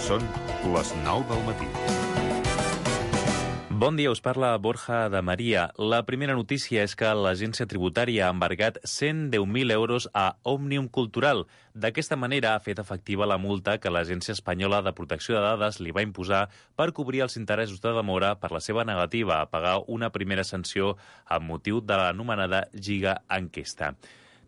Són les 9 del matí. Bon dia, us parla Borja de Maria. La primera notícia és que l'Agència Tributària ha embargat 110.000 euros a Òmnium Cultural. D'aquesta manera ha fet efectiva la multa que l'Agència Espanyola de Protecció de Dades li va imposar per cobrir els interessos de demora per la seva negativa a pagar una primera sanció amb motiu de l'anomenada Giga Enquesta.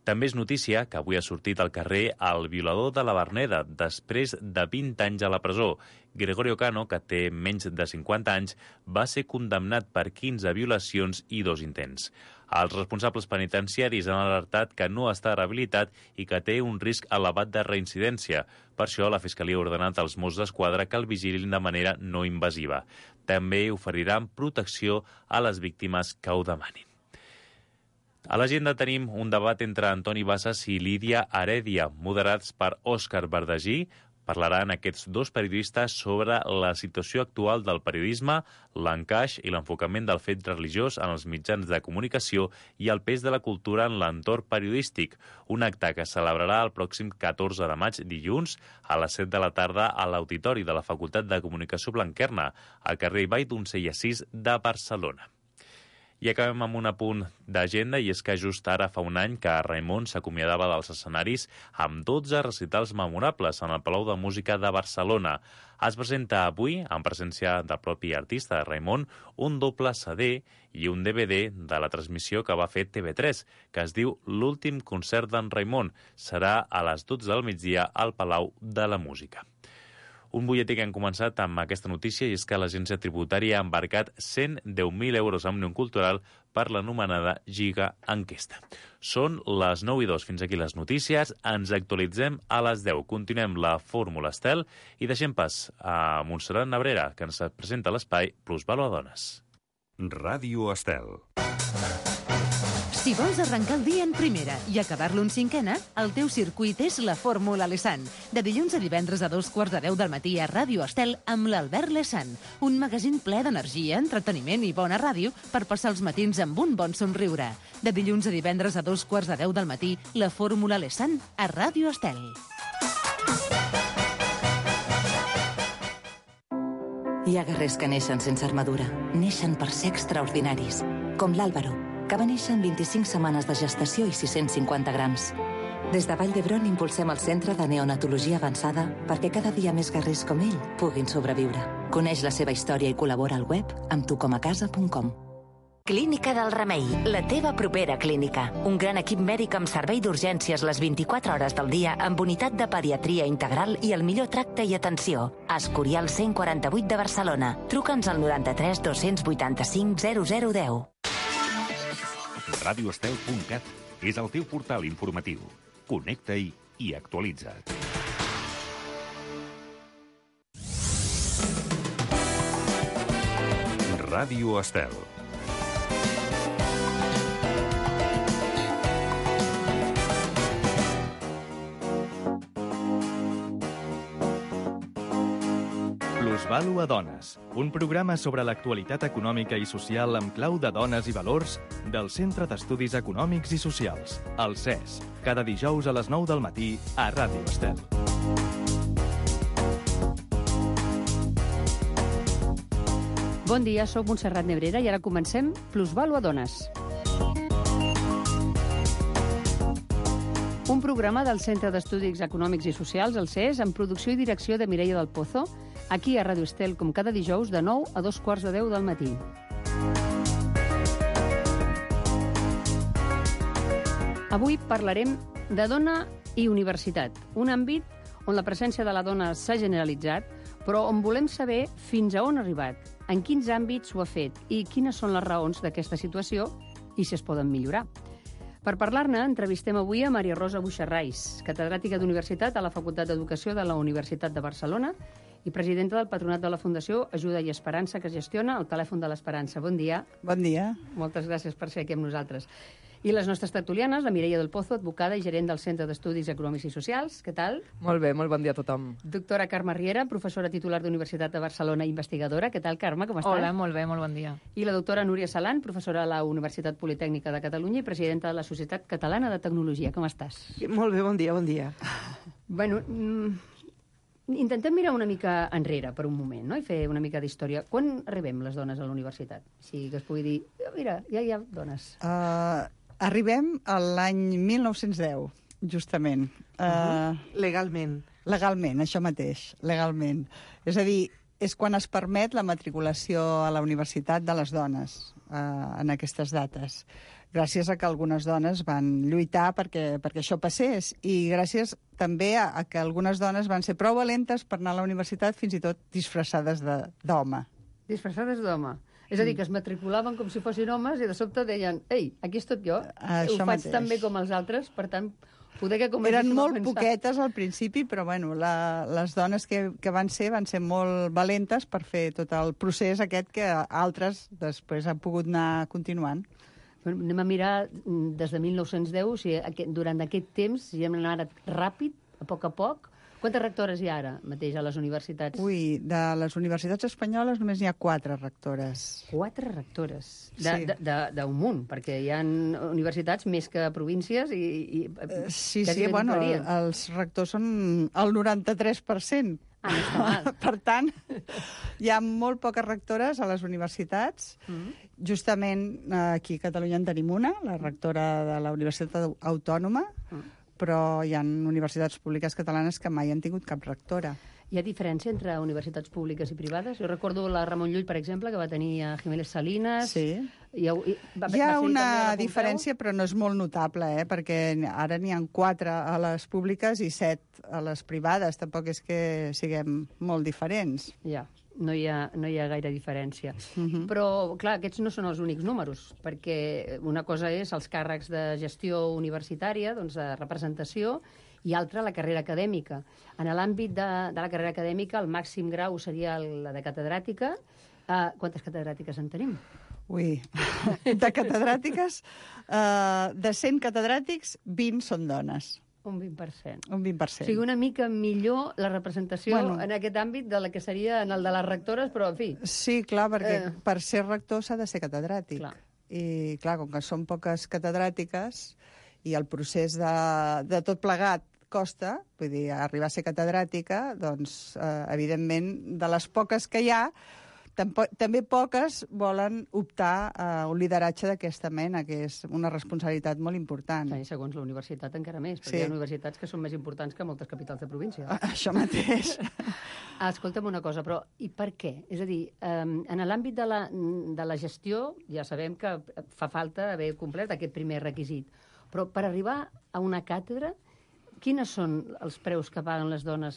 També és notícia que avui ha sortit al carrer el violador de la Verneda, després de 20 anys a la presó. Gregorio Cano, que té menys de 50 anys, va ser condemnat per 15 violacions i 2 intents. Els responsables penitenciaris han alertat que no està rehabilitat i que té un risc elevat de reincidència. Per això, la Fiscalia ha ordenat als Mossos d'Esquadra que el vigilin de manera no invasiva. També oferiran protecció a les víctimes que ho demanin. A l'agenda tenim un debat entre Antoni Bassas i Lídia Heredia, moderats per Òscar Verdagí. Parlaran aquests dos periodistes sobre la situació actual del periodisme, l'encaix i l'enfocament del fet religiós en els mitjans de comunicació i el pes de la cultura en l'entorn periodístic. Un acte que es celebrarà el pròxim 14 de maig, dilluns, a les 7 de la tarda a l'Auditori de la Facultat de Comunicació Blanquerna, al carrer Vall d'Uncella 6 de Barcelona. I acabem amb un apunt d'agenda, i és que just ara fa un any que Raimon s'acomiadava dels escenaris amb 12 recitals memorables en el Palau de Música de Barcelona. Es presenta avui, en presència del propi artista Raimon, un doble CD i un DVD de la transmissió que va fer TV3, que es diu L'últim concert d'en Raimon. Serà a les 12 del migdia al Palau de la Música. Un butlletí que hem començat amb aquesta notícia, i és que l'Agència Tributària ha embarcat 110.000 euros a Òmnium Cultural per l'anomenada Giga Enquesta. Són les 9:02. Fins aquí les notícies. Ens actualitzem a les 10. Continuem la Fórmula Estel i deixem pas a Montserrat Nebrera, que ens presenta l'espai Plusvàlua Dones. Ràdio Estel. Si vols arrencar el dia en primera i acabar-lo en cinquena, el teu circuit és la Fórmula Lesan. De dilluns a divendres a 2:45 del matí a Ràdio Estel amb l'Albert Lesan. Un magazín ple d'energia, entreteniment i bona ràdio per passar els matins amb un bon somriure. De dilluns a divendres a 2:15 del matí, la Fórmula Lesan a Ràdio Estel. Hi ha guerrers que neixen sense armadura. Neixen per ser extraordinaris. Com l'Àlvaro, que va néixer en 25 setmanes de gestació i 650 grams. Des de Vall d'Hebron impulsem el Centre de Neonatologia Avançada perquè cada dia més guerrers com ell puguin sobreviure. Coneix la seva història i col·labora al web amb tucomacasa.com. Clínica del Remei, la teva propera clínica. Un gran equip mèdic amb servei d'urgències les 24 hores del dia, amb unitat de pediatria integral i el millor tracte i atenció. Escorial 148 de Barcelona. Truca'ns al 93 285 0010. Radioestel.cat és el teu portal informatiu. Connecta-hi i actualitza't. Ràdio Estel. Plusvàlua Dones, un programa sobre l'actualitat econòmica i social amb clau de dones i valors del Centre d'Estudis Econòmics i Socials, el CES, cada dijous a les 9 del matí a Ràdio Estel. Bon dia, soc Montserrat Nebrera i ara comencem Plusvàlua Dones. Un programa del Centre d'Estudis Econòmics i Socials, el CES, amb producció i direcció de Mireia del Pozo, aquí a Ràdio Estel, com cada dijous, de 9 a 2:15 del matí. Avui parlarem de dona i universitat, un àmbit on la presència de la dona s'ha generalitzat, però on volem saber fins a on ha arribat, en quins àmbits ho ha fet i quines són les raons d'aquesta situació i si es poden millorar. Per parlar-ne, entrevistem avui a Maria Rosa Buixarrais, catedràtica d'Universitat a la Facultat d'Educació de la Universitat de Barcelona i presidenta del Patronat de la Fundació Ajuda i Esperança, que gestiona el Telèfon de l'Esperança. Bon dia. Bon dia. Moltes gràcies per ser aquí amb nosaltres. I les nostres tertulianes, la Mireia del Pozo, advocada i gerent del Centre d'Estudis Econòmics i Socials. Què tal? Molt bé, molt bon dia a tothom. Doctora Carme Riera, professora titular d'Universitat de Barcelona i investigadora. Què tal, Carme? Com estàs? Hola, molt bé, molt bon dia. I la doctora Núria Salant, professora a la Universitat Politècnica de Catalunya i presidenta de la Societat Catalana de Tecnologia. Com estàs? Molt bé, bon dia, bon dia. Bueno, Intentem mirar una mica enrere per un moment, no? I fer una mica d'història. Quan arribem les dones a la universitat? Si que es pugui dir, mira, ja hi ha dones. Arribem a l'any 1910, justament. Legalment. Legalment, això mateix, legalment. És a dir, és quan es permet la matriculació a la universitat de les dones en aquestes dates. Gràcies a que algunes dones van lluitar perquè això passés i gràcies també a que algunes dones van ser prou valentes per anar a la universitat fins i tot disfressades d'home. Disfressades d'home. És a dir, que es matriculaven com si fossin homes i de sobte deien, ei, aquí estic jo, ho faig tan bé com els altres, per tant, poder que comencéssim Eren molt a pensar... poquetes al principi, però bueno, les dones que van ser molt valentes per fer tot el procés aquest que altres després han pogut anar continuant. Anem a mirar des de 1910, o sigui, durant aquest temps, si hem anat ràpid, a poc, quantes rectores hi ha ara mateix a les universitats? Ui, de les universitats espanyoles només n'hi ha 4 rectores. 4 rectores? Sí. D'un munt, perquè hi ha universitats més que províncies i sí, bueno, els rectors són el 93%. Ah, no està mal. Per tant, hi ha molt poques rectores a les universitats. Justament aquí a Catalunya en tenim una, la rectora de la Universitat Autònoma, però hi ha universitats públiques catalanes que mai han tingut cap rectora. Hi ha diferència entre universitats públiques i privades? Jo recordo la Ramon Llull, per exemple, que va tenir a Jiménez Salinas. Sí. Hi ha una diferència, però no és molt notable, perquè ara n'hi ha 4 a les públiques i 7 a les privades. Tampoc és que siguem molt diferents. Ja, no hi ha gaire diferència. Però, clar, aquests no són els únics números, perquè una cosa és els càrrecs de gestió universitària, doncs de representació, i altra, la carrera acadèmica. En l'àmbit de la carrera acadèmica, el màxim grau seria la de catedràtica. Quantes catedràtiques en tenim? Ui, de catedràtiques, de 100 catedràtics, 20 són dones. Un 20%. Un 20%. O sigui, una mica millor la representació en aquest àmbit de la que seria en el de les rectores, però, en fi... Sí, clar, perquè per ser rector s'ha de ser catedràtic. Clar. I, clar, com que són poques catedràtiques i el procés de tot plegat costa, vull dir, arribar a ser catedràtica, doncs, evidentment, de les poques que hi ha, també poques volen optar a un lideratge d'aquesta mena, que és una responsabilitat molt important. I segons la universitat encara més, perquè hi ha universitats que són més importants que moltes capitals de província. Això mateix. Escolta'm una cosa, però i per què? És a dir, en l'àmbit de la gestió ja sabem que fa falta haver complert aquest primer requisit, però per arribar a una càtedra, quines són els preus que paguen les dones?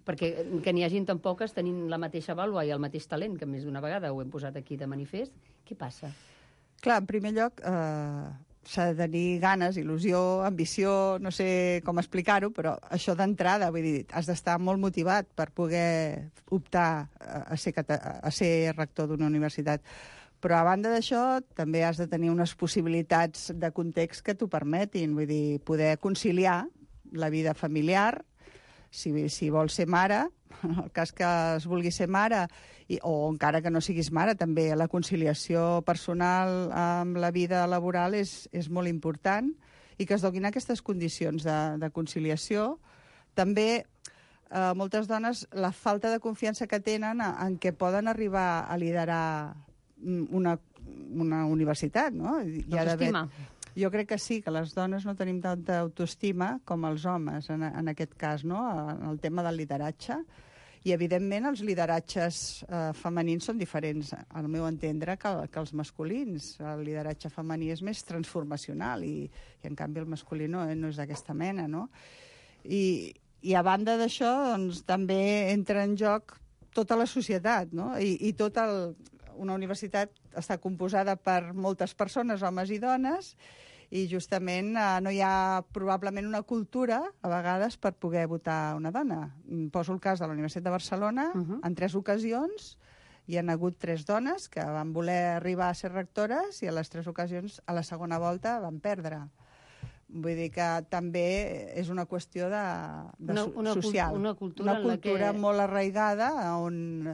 Perquè que n'hi hagin tan poques tenint la mateixa vàlua i el mateix talent, que més d'una vegada ho hem posat aquí de manifest. Què passa? Clar, en primer lloc, s'ha de tenir ganes, il·lusió, ambició, no sé com explicar-ho, però això d'entrada, vull dir, has d'estar molt motivat per poder optar a ser rector d'una universitat. Però a banda d'això, també has de tenir unes possibilitats de context que t'ho permetin, vull dir, poder conciliar la vida familiar, si vols ser mare, en el cas que es vulgui ser mare, o encara que no siguis mare, també la conciliació personal amb la vida laboral és molt important, i que es donin aquestes condicions de conciliació. També moltes dones, la falta de confiança que tenen en què poden arribar a liderar una universitat, no? Autoestima. Jo crec que sí, que les dones no tenim tanta autoestima com els homes, en aquest cas, no? En el tema del lideratge. I, evidentment, els lideratges femenins són diferents, al meu entendre, que els masculins. El lideratge femení és més transformacional i en canvi, el masculí no és d'aquesta mena, no? I a banda d'això, doncs, també entra en joc tota la societat, no? Una universitat està composada per moltes persones, homes i dones, i justament no hi ha probablement una cultura, a vegades, per poder votar una dona. Poso el cas de la Universitat de Barcelona. En 3 ocasions hi han hagut 3 dones que van voler arribar a ser rectores i a les 3 ocasions, a la segona volta, van perdre. Vull dir que també és una qüestió social. Una cultura molt arraigada, on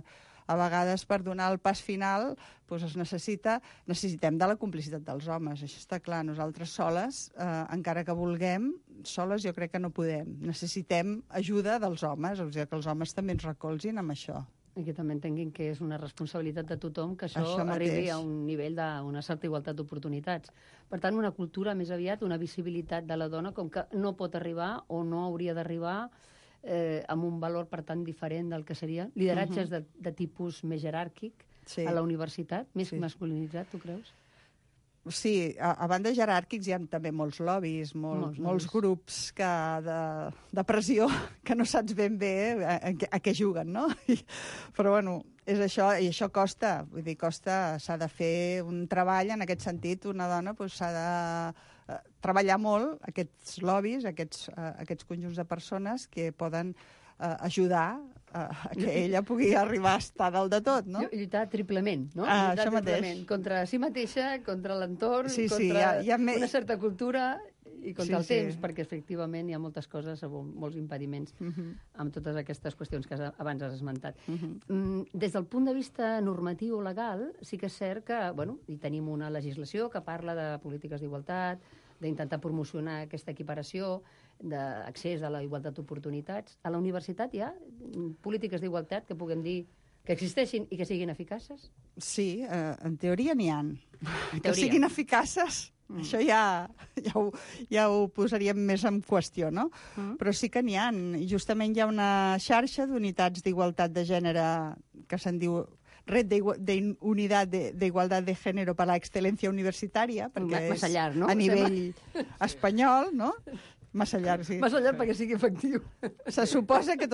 a vegades per donar el pas final doncs necessitem de la complicitat dels homes. Això està clar. Nosaltres soles, encara que vulguem, soles jo crec que no podem. Necessitem ajuda dels homes, o sigui, que els homes també ens recolzin amb això. I que també entenguin que és una responsabilitat de tothom que això arribi a un nivell d'una certa igualtat d'oportunitats. Per tant, una cultura més aviat, una visibilitat de la dona com que no pot arribar o no hauria d'arribar amb un valor, per tant, diferent del que seria. Lideratges de tipus més jeràrquic a la universitat, més masculinitzat, tu creus? Sí, a banda jeràrquics hi ha també molts lobbies, molts grups de pressió que no saps ben bé a què juguen, no? Però, bueno, és això, i això costa. Vull dir, s'ha de fer un treball en aquest sentit. Una dona s'ha de treballar molt aquests lobbies, aquests conjunts de persones que poden ajudar a que ella pugui arribar a estar dalt de tot, no? Lluitar triplement, no? Això mateix. Contra si mateixa, contra l'entorn, contra una certa cultura i contra el temps, perquè efectivament hi ha moltes coses, molts impediments amb totes aquestes qüestions que abans has esmentat. Des del punt de vista normatiu o legal, sí que és cert que, bueno, hi tenim una legislació que parla de polítiques d'igualtat, d'intentar promocionar aquesta equiparació, d'accés a la igualtat d'oportunitats. A la universitat hi ha polítiques d'igualtat que puguem dir que existeixin i que siguin eficaces? Sí, en teoria n'hi ha. Que siguin eficaces, això ja ho posaríem més en qüestió, no? Però sí que n'hi ha. I justament hi ha una xarxa d'unitats d'igualtat de gènere que se'n diu Red de Unidad de Igualdad de Género para la Excelencia Universitaria, perquè és a nivell espanyol, no? Massa llarg, sí. Massa llarg perquè sigui efectiu. Això se suposa que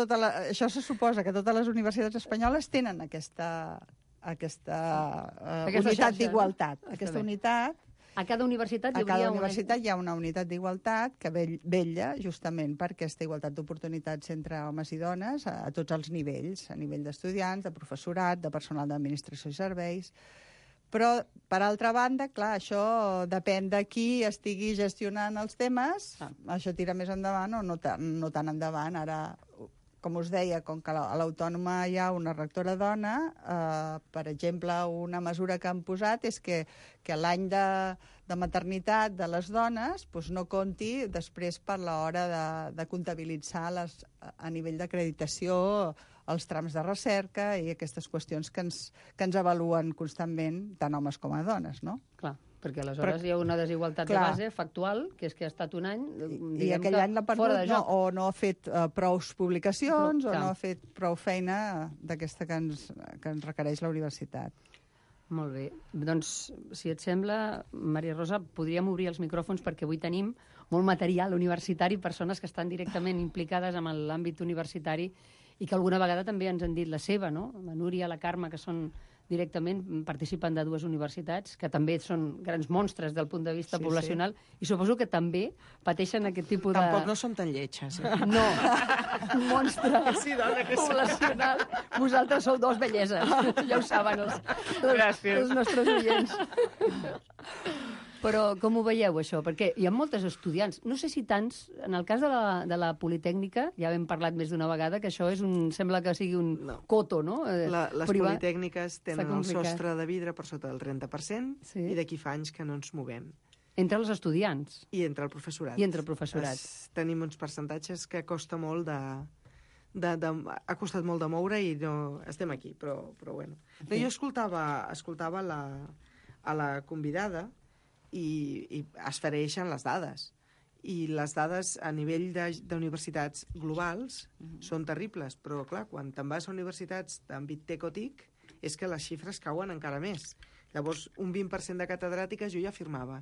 totes les universitats espanyoles tenen aquesta unitat d'igualtat. Aquesta unitat. A cada universitat hi ha una unitat d'igualtat que vetlla justament per aquesta igualtat d'oportunitats entre homes i dones a tots els nivells, a nivell d'estudiants, de professorat, de personal d'administració i serveis. Però, per altra banda, clar, això depèn de qui estigui gestionant els temes, això tira més endavant o no tan endavant. Ara, com us deia, com que a l'Autònoma hi ha una rectora dona, per exemple, una mesura que han posat és que l'any de maternitat de les dones no compti després per l'hora de comptabilitzar a nivell d'acreditació els trams de recerca i aquestes qüestions que ens avaluen constantment tant homes com a dones, no? Clar, perquè aleshores hi ha una desigualtat de base factual, que és que ha estat un any, i aquell any l'ha perdut, o no ha fet prou publicacions, o no ha fet prou feina d'aquesta que ens requereix la universitat. Molt bé. Doncs, si et sembla, Maria Rosa, podríem obrir els micròfons perquè avui tenim molt material universitari, persones que estan directament implicades en l'àmbit universitari i que alguna vegada també ens han dit la seva, no? La Núria, la Carme, que són directament, participen de dues universitats, que també són grans monstres del punt de vista poblacional, i suposo que també pateixen aquest tipus de... Tampoc no som tan lletges. No, un monstre poblacional. Vosaltres sou dos belleses, ja ho saben els nostres oients. Però com ho veieu, això? Perquè hi ha moltes estudiants, no sé si tants, en el cas de la Politècnica, ja hem parlat més d'una vegada, que això sembla que sigui un coto, no? Les politècniques tenen el sostre de vidre per sota del 30% i d'aquí fa anys que no ens movem. Entre els estudiants? I entre el professorat. I entre el professorat. Tenim uns percentatges que costa molt ha costat molt de moure i no estem aquí, però bueno. Jo escoltava a la convidada i es fereixen les dades. I les dades a nivell d'universitats globals són terribles, però clar, quan te'n vas a universitats d'àmbit TEC-OTIC és que les xifres cauen encara més. Llavors, un 20% de catedràtiques jo ja firmava.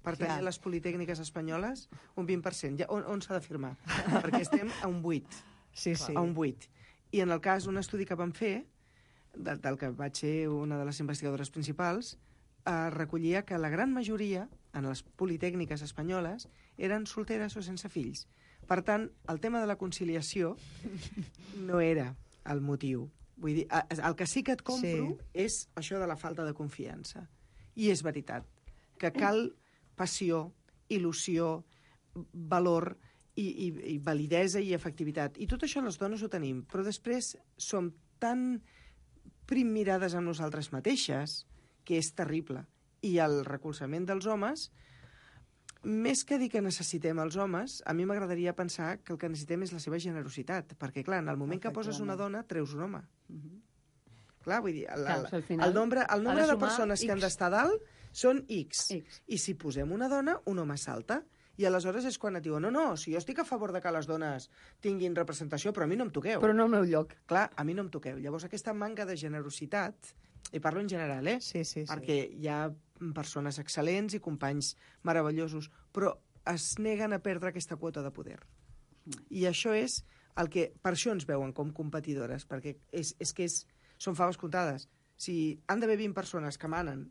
Per tenir les politècniques espanyoles, un 20%. On s'ha de firmar? Perquè estem a un 8. Sí. A un 8. I en el cas, un estudi que vam fer, del que vaig ser una de les investigadores principals, recollia que la gran majoria, en les politècniques espanyoles, eren solteres o sense fills. Per tant, el tema de la conciliació no era el motiu. Vull dir, el que sí que et compro és això de la falta de confiança. I és veritat, que cal passió, il·lusió, valor i validesa i efectivitat. I tot això les dones ho tenim, però després som tan primmirades amb nosaltres mateixes, que és terrible. I el recolzament dels homes, més que dir que necessitem els homes, a mi m'agradaria pensar que el que necessitem és la seva generositat, perquè, clar, en el moment que poses una dona, treus un home. Clar, vull dir, el nombre de persones que han d'estar dalt són X. I si posem una dona, un home salta. I aleshores és quan et diuen, no, si jo estic a favor de que les dones tinguin representació, però a mi no em toqueu. Però no al meu lloc. Clar, a mi no em toqueu. Llavors aquesta manca de generositat, i parlo en general, Sí. perquè hi ha persones excel·lents i companys meravellosos, però es neguen a perdre aquesta quota de poder. I això és el que... Per això ens veuen com competidores, perquè són faves comptades. Si han d'haver 20 persones que manen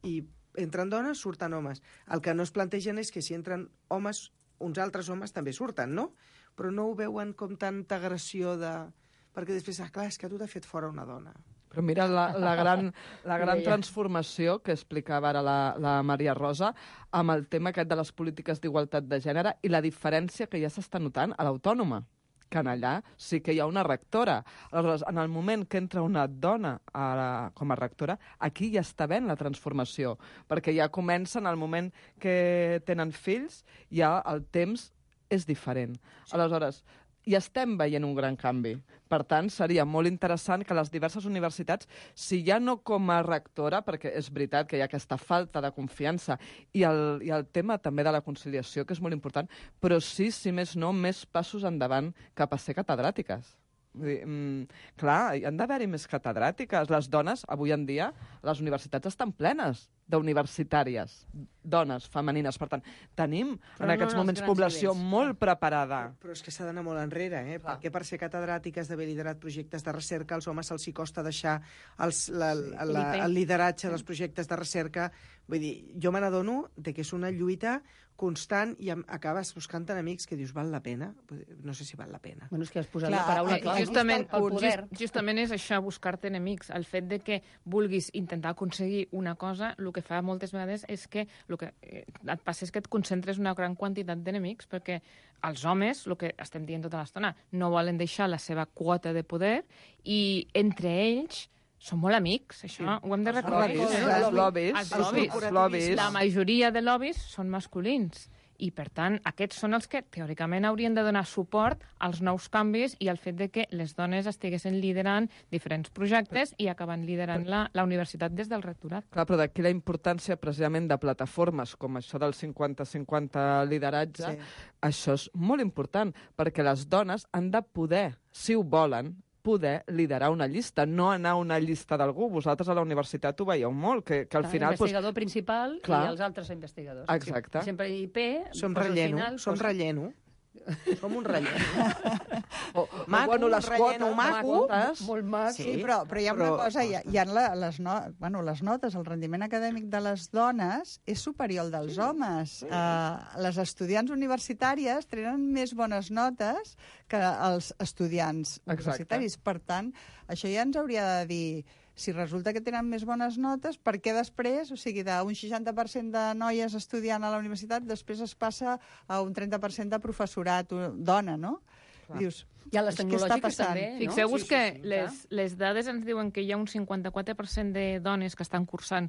i entren dones, surten homes. El que no es plantegen és que si entren homes, uns altres homes també surten, no? Però no ho veuen com tanta agressió de... Perquè després, clar, és que tu t'ha fet fora una dona. Però mira la gran transformació que explicava ara la Maria Rosa amb el tema aquest de les polítiques d'igualtat de gènere i la diferència que ja s'està notant a l'Autònoma, que en allà sí que hi ha una rectora. Aleshores, en el moment que entra una dona com a rectora, aquí ja està ben la transformació, perquè ja comença en el moment que tenen fills, ja el temps és diferent. Aleshores, i estem veient un gran canvi. Per tant, seria molt interessant que les diverses universitats, si ja no com a rectora, perquè és veritat que hi ha aquesta falta de confiança, i el tema també de la conciliació, que és molt important, però sí, si més no, més passos endavant cap a ser catedràtiques. Vull dir, clar, hi han d'haver-hi més catedràtiques. Les dones, avui en dia, les universitats estan plenes d'universitàries, dones, femenines. Per tant, tenim en aquests moments població molt preparada. Però és que s'ha d'anar molt enrere, perquè per ser catedràtiques, d'haver liderat projectes de recerca, als homes se'ls costa deixar el lideratge dels projectes de recerca. Vull dir, jo me n'adono que és una lluita constant i acabes buscant enemics que dius, val la pena? No sé si val la pena. Bueno, és que has posat la paraula clau. Justament és això, buscar-te enemics. El fet de que vulguis intentar aconseguir una cosa, el que fa moltes vegades és que el que et passa és que et concentres una gran quantitat d'enemics, perquè els homes, el que estem dient tota l'estona, no volen deixar la seva quota de poder i entre ells són molt amics, això ho hem de recordar. Els lobbies. La majoria de lobbies són masculins i, per tant, aquests són els que teòricament haurien de donar suport als nous canvis i al fet de que les dones estiguessin liderant diferents projectes i acabant liderant la universitat des del rectorat. Clar, però d'aquí la importància precisament de plataformes com això del 50-50 lideratge, això és molt important, perquè les dones han de poder, si ho volen, poder liderar una llista, no anar a una llista d'algú. Vosaltres a la universitat ho veieu molt, que al final... L'investigador principal i els altres investigadors. Exacte. Sempre IP... Som relleno. Som un relleno. Maco, un relleno maco. Molt maco. Sí, però hi ha una cosa, hi ha les notes, el rendiment acadèmic de les dones és superior al dels homes. Les estudiants universitàries tenen més bones notes que els estudiants universitaris. Per tant, això ja ens hauria de dir... Si resulta que tenen més bones notes, per què després, o sigui, d'un 60% de noies estudiant a la universitat, després es passa a un 30% de professorat dona, no? Dius, i a les tecnològiques també, no? Fixeu-vos que les dades ens diuen que hi ha un 54% de dones que estan cursant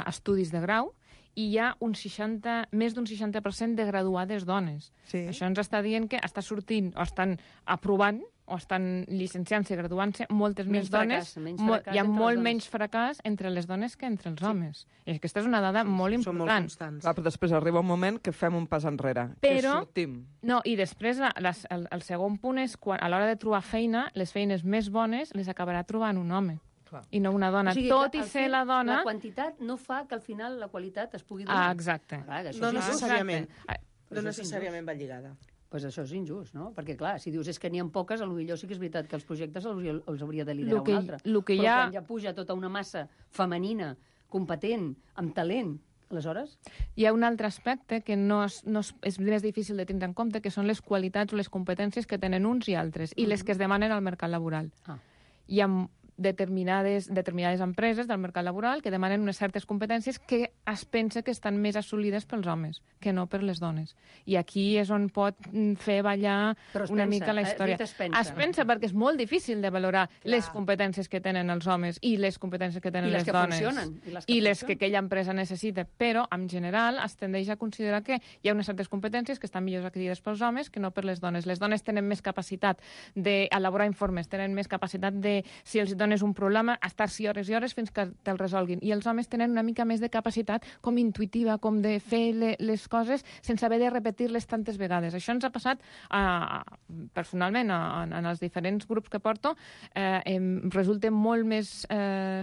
estudis de grau i hi ha més d'un 60% de graduades dones. Això ens està dient que està sortint o estan aprovant o estan llicenciant-se i graduant-se moltes més dones. Hi ha molt menys fracàs entre les dones que entre els homes. I aquesta és una dada molt important. Clar, però després arriba un moment que fem un pas enrere, que sortim. No, i després el segon punt és quan a l'hora de trobar feina, les feines més bones les acabarà trobant un home. I no una dona. Tot i ser la dona... La quantitat no fa que al final la qualitat es pugui donar. Exacte. No necessàriament. No necessàriament va lligada. Pues això és injust, no? Perquè, clar, si dius és que n'hi ha poques, potser sí que és veritat que els projectes els hauria de liderar un altre. Però quan ja puja tota una massa femenina, competent, amb talent, aleshores... Hi ha un altre aspecte que és més difícil de tindre en compte, que són les qualitats o les competències que tenen uns i altres, i les que es demanen al mercat laboral. Hi ha determinades empreses del mercat laboral que demanen unes certes competències que es pensa que estan més assolides pels homes que no per les dones. I aquí és on pot fer ballar una mica la història. Es pensa perquè és molt difícil de valorar les competències que tenen els homes i les competències que tenen les dones. I les que aquella empresa necessita. Però, en general, es tendeix a considerar que hi ha unes certes competències que estan millor adquirides pels homes que no per les dones. Les dones tenen més capacitat d'elaborar informes, tenen més capacitat de, si els dones un problema, estar-s'hi hores i hores fins que te'l resolguin. I els homes tenen una mica més de capacitat com intuitiva, com de fer les coses sense haver de repetir-les tantes vegades. Això ens ha passat personalment en els diferents grups que porto. Resulta molt més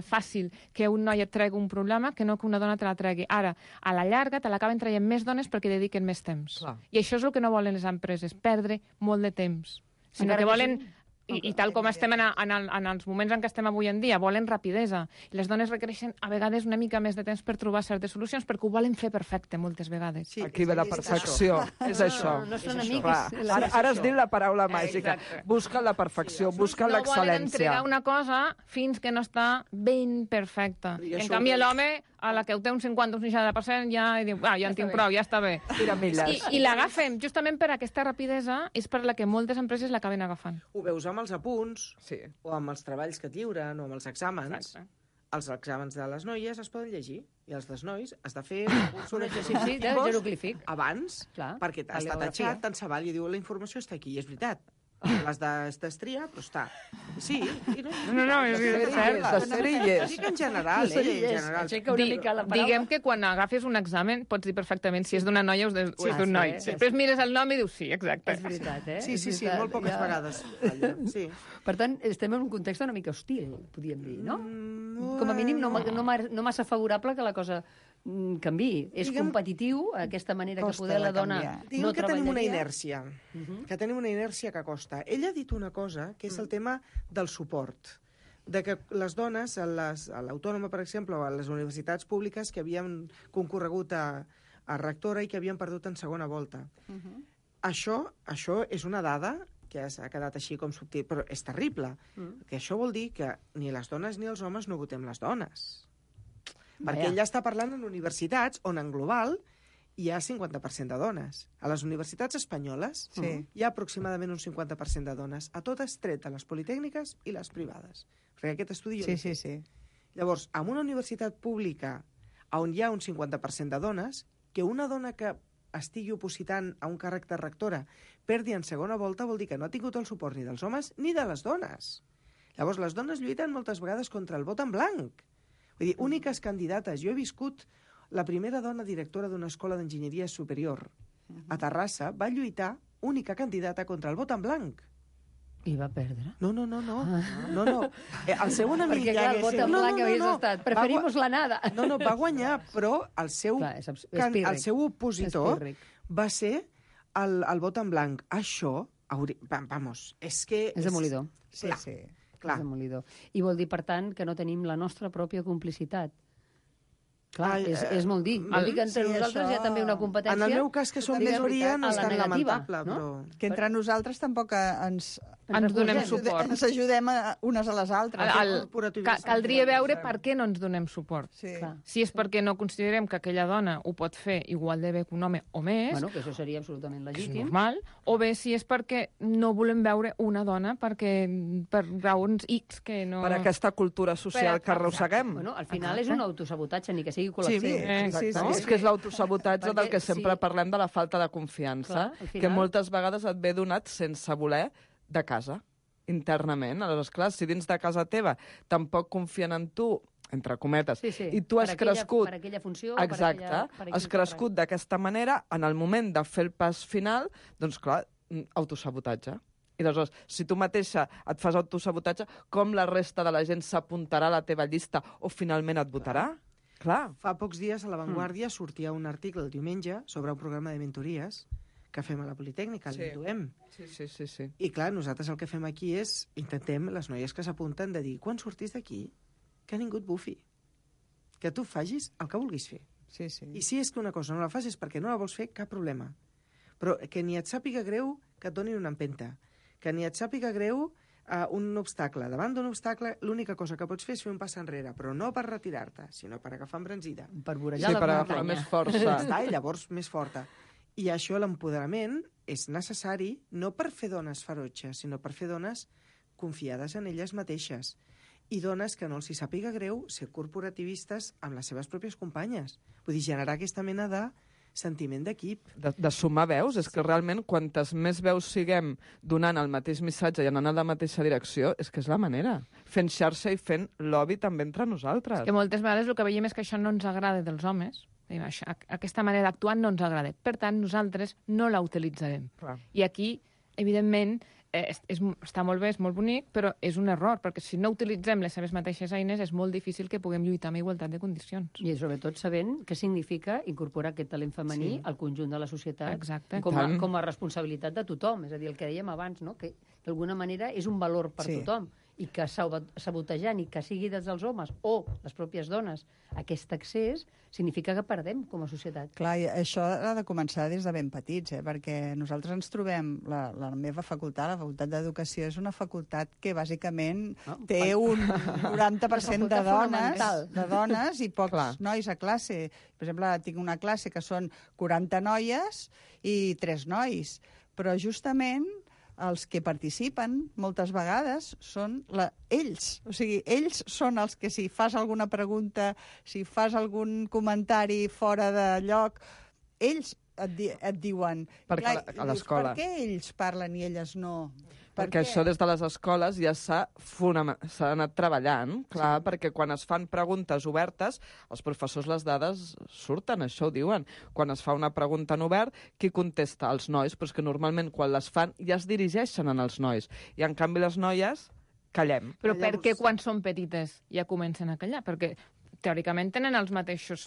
fàcil que un noi et tregui un problema que no que una dona te la tregui. Ara, a la llarga te l'acaben traient més dones perquè dediquen més temps. Clar. I això és el que no volen les empreses, perdre molt de temps. Sinó que volen... I tal com estem en els moments en què estem avui en dia, volen rapidesa. I les dones requereixen a vegades una mica més de temps per trobar certes solucions, perquè ho volen fer perfecte moltes vegades. Sí, aquí ve la perfecció. És això. No són amics. Ara has dit la paraula màgica. Busca la perfecció, busca l'excel·lència. No volen entregar una cosa fins que no està ben perfecta. En canvi, l'home, a la que ho té un 50 o un 60%, ja diu, ja en tinc prou, ja està bé. I l'agafem, justament per aquesta rapidesa, és per la que moltes empreses l'acaben agafant. Ho veus amb els apunts, o amb els treballs que et lliuren, o amb els exàmens. Els exàmens de les noies es poden llegir, i els dels nois has de fer un exercici abans, perquè està tatxat, tant se val, i diu, la informació està aquí, i és veritat. Les d'estria, però està. Sí. No, és cert. Sí que en general, Diguem que quan agafes un examen pots dir perfectament si és d'una noia o és d'un noi. Després mires el nom i dius sí, exacte. És veritat, eh? Sí, molt poques vegades. Per tant, estem en un context una mica hostil, podríem dir, no? Com a mínim no massa favorable que la cosa canviï. És competitiu, aquesta manera que poder la dona no treballaria. Que tenim una inèrcia que costa. Ella ha dit una cosa, que és el tema del suport. De que les dones, a l'Autònoma, per exemple, o a les universitats públiques que havien concorregut a rectora i que havien perdut en segona volta. Això és una dada que ha quedat així com subtil, però és terrible. Que això vol dir que ni les dones ni els homes no votem les dones. Perquè ella està parlant en universitats on en global hi ha 50% de dones. A les universitats espanyoles hi ha aproximadament un 50% de dones, a totes tret a les politècniques i les privades. Perquè aquest estudi jo l'he fet. Llavors, en una universitat pública on hi ha un 50% de dones, que una dona que estigui opositant a un càrrec de rectora perdi en segona volta vol dir que no ha tingut el suport ni dels homes ni de les dones. Llavors, les dones lluiten moltes vegades contra el vot en blanc. Vull dir, úniques candidates. Jo he viscut la primera dona directora d'una escola d'enginyeria superior a Terrassa, va lluitar única candidata contra el vot en blanc. I va perdre? No. El seu enemic... Perquè clar, el vot en blanc havies estat. Preferimos la nada. No, va guanyar, però el seu opositor va ser el vot en blanc. Això, vamos, és que... És demolidor. Sí. Clar. I vol dir, per tant, que no tenim la nostra pròpia complicitat. Clar, és molt dir. Vol dir que entre nosaltres hi ha també una competència... En el meu cas, que som minoria, no és tan lamentable, però... Que entre nosaltres tampoc ens donem suport. Ens ajudem unes a les altres. Caldria veure per què no ens donem suport. Si és perquè no considerem que aquella dona ho pot fer igual de bé que un home o més... Bueno, que això seria absolutament legítim. És normal. O bé si és perquè no volem veure una dona per raons X que no... Per aquesta cultura social que arrosseguem. Bueno, al final és un autosabotatge, ni que sigui col·lectiu. Sí. És que és l'autosabotatge del que sempre parlem de la falta de confiança, que moltes vegades et ve donat sense voler de casa, internament. Aleshores, clar, si dins de casa teva tampoc confien en tu, entre cometes, i tu has crescut... Per aquella funció... Exacte, has crescut d'aquesta manera, en el moment de fer el pas final, doncs clar, autosabotatge. I aleshores, si tu mateixa et fas autosabotatge, com la resta de la gent s'apuntarà a la teva llista o finalment et votarà? Clar. Fa pocs dies a La Vanguardia sortia un article el diumenge sobre un programa de mentories que fem a la Politècnica, l'Induem. Sí. I clar, nosaltres el que fem aquí és, intentem, les noies que s'apunten, de dir, quan sortis d'aquí, que ningú et bufi. Que tu facis el que vulguis fer. Sí. I si és que una cosa no la fas és perquè no la vols fer, cap problema. Però que ni et sàpiga greu que et donin una empenta. Que ni et sàpiga greu un obstacle. Davant d'un obstacle, l'única cosa que pots fer és fer un pas enrere, però no per retirar-te, sinó per agafar embranzida. Per vorejar per agafar més força. I llavors més forta. I això, l'empoderament, és necessari no per fer dones ferotges, sinó per fer dones confiades en elles mateixes. I dones que no els hi sàpiga greu ser corporativistes amb les seves pròpies companyes. Vull dir, generar aquesta mena de sentiment d'equip. De sumar veus, és que realment quantes més veus siguem donant el mateix missatge i anant a la mateixa direcció, és que és la manera. Fent xarxa i fent lobby també entre nosaltres. Que moltes vegades el que veiem és que això no ens agrada dels homes. Aquesta manera d'actuar no ens agrada. Per tant, nosaltres no la utilitzarem. Clar. I aquí, evidentment, està molt bé, és molt bonic, però és un error, perquè si no utilitzem les seves mateixes eines és molt difícil que puguem lluitar amb igualtat de condicions. I sobretot sabent què significa incorporar aquest talent femení al conjunt de la societat. Exacte. Com a responsabilitat de tothom. És a dir, el que dèiem abans, no? Que d'alguna manera és un valor per tothom i que sabotejant i que sigui des dels homes o les pròpies dones aquest accés significa que perdem com a societat. Clar, i això ha de començar des de ben petits, perquè nosaltres ens trobem, la meva facultat, la Facultat d'Educació, és una facultat que bàsicament té un 90% de dones i pocs nois a classe. Per exemple, tinc una classe que són 40 noies i 3 nois, però justament els que participen moltes vegades són ells. O sigui, ells són els que si fas alguna pregunta, si fas algun comentari fora de lloc, ells et diuen... Perquè a l'escola. Per què ells parlen i elles no? Perquè això des de les escoles ja s'ha anat treballant, clar, perquè quan es fan preguntes obertes, els professors les dades surten, això ho diuen. Quan es fa una pregunta en obert, qui contesta? Els nois, però és que normalment quan les fan ja es dirigeixen als nois. I en canvi les noies callem. Però per què quan són petites ja comencen a callar? Perquè teòricament tenen els mateixos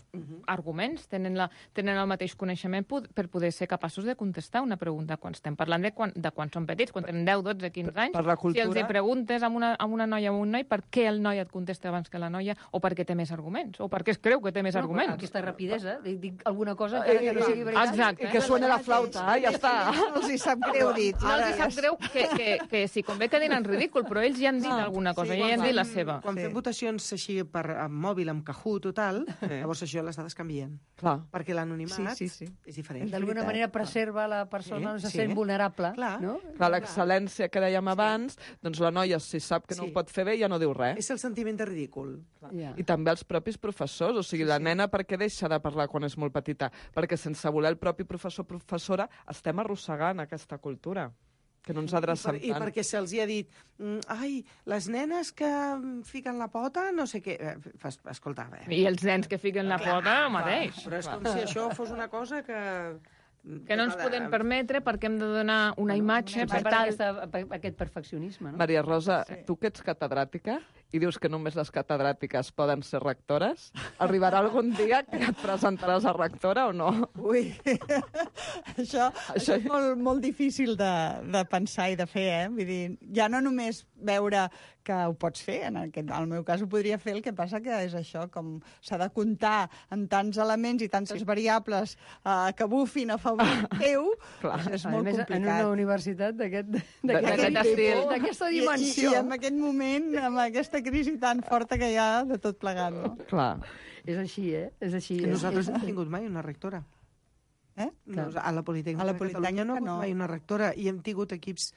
arguments, tenen el mateix coneixement per poder ser capaços de contestar una pregunta. Quan estem parlant de quan són petits, quan tenen 10, 12, 15 anys, si els hi preguntes a una noia o a un noi per què el noi et contesta abans que la noia, o perquè té més arguments, o perquè es creu que té més arguments. Aquesta rapidesa, dic alguna cosa que no sigui veritat. Exacte. I que suena la flauta, ja està. No els hi sap greu dit. No els hi sap greu que si convé que dinen ridícul, però ells ja han dit alguna cosa, ja han dit la seva. Quan fem votacions així per mòbil, amb Kahoot total, llavors això les dades canvien. Clar. Perquè l'anonimat és diferent. D'alguna manera preserva la persona, no se sent vulnerable. No? Clar, l'excel·lència que dèiem abans, doncs la noia, si sap que no ho pot fer bé, ja no diu res. És el sentiment de ridícul. I també els propis professors, o sigui, la nena per què deixa de parlar quan és molt petita? Perquè sense voler el propi professor o professora estem arrossegant aquesta cultura. Que no ens adrecem tant. I perquè se'ls ha dit, ai, les nenes que fiquen la pota, no sé què... Escolta, I els nens que fiquen la pota, el mateix. Però és com si això fos una cosa que no ens podem permetre perquè hem de donar una imatge per aquest perfeccionisme. Maria Rosa, tu que ets catedràtica i dius que només les catedràtiques poden ser rectores, arribarà algun dia que et presentaràs a rectora o no? Ui, això és molt difícil de pensar i de fer, Vull dir, ja no només veure que ho pots fer, en el meu cas ho podria fer, el que passa que és això, com s'ha de comptar en tants elements i tantes variables que bufin a favor teu, és molt complicat. En una universitat d'aquesta dimensió. I en aquest moment, amb aquesta crisi tan forta que hi ha de tot plegat, no? Clar. És així, És així. Nosaltres no hem tingut mai una rectora. A la Politècnica de Catalunya no hem tingut mai una rectora i hem tingut equips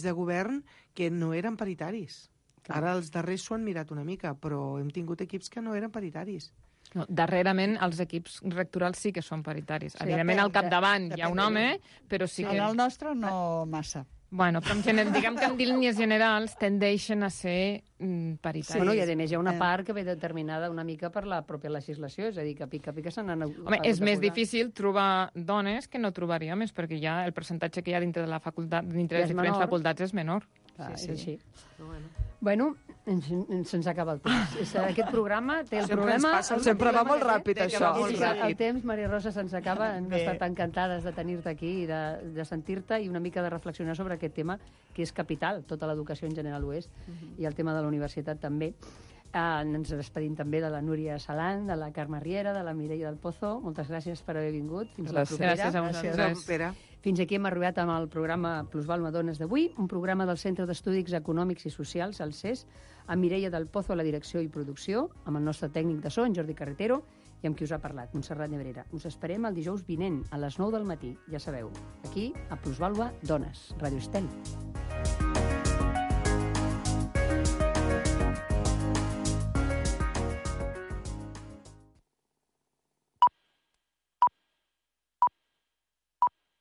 de govern que no eren paritaris. Ara els darrers s'ho han mirat una mica, però hem tingut equips que no eren paritaris. No, darrerament els equips rectorals sí que són paritaris. Evidentment al capdavant hi ha un home, però sí que... En el nostre no massa. Bueno, però diguem que en línies generals tendeixen a ser paritaris. Bueno, i a més hi ha una part que ve determinada una mica per la pròpia legislació, és a dir, que pica se n'han... Home, és més difícil trobar dones que no trobaria més, perquè ja el percentatge que hi ha dintre de la facultat, dintre de les diferents facultats és menor. És així. Bueno, se'ns acaba el temps. Aquest programa té el problema... Sempre va molt ràpid, això. El temps, Maria Rosa, se'ns acaba. Hem estat encantades de tenir-te aquí i de sentir-te i una mica de reflexionar sobre aquest tema, que és capital. Tota l'educació en general ho és, i el tema de la universitat també. Ens despedim també de la Núria Salant, de la Carme Riera, de la Mireia del Pozo. Moltes gràcies per haver vingut. Fins la propera. Gràcies a vosaltres. Fins aquí hem arribat amb el programa Plusvàlua Dones d'avui, un programa del Centre d'Estudis Econòmics i Socials, el CES, amb Mireia del Pozo a la direcció i producció, amb el nostre tècnic de so, en Jordi Carretero, i amb qui us ha parlat, Montserrat Nebrera. Us esperem el dijous vinent, a les 9 del matí, ja sabeu, aquí, a Plusvàlua Dones, Ràdio Estel.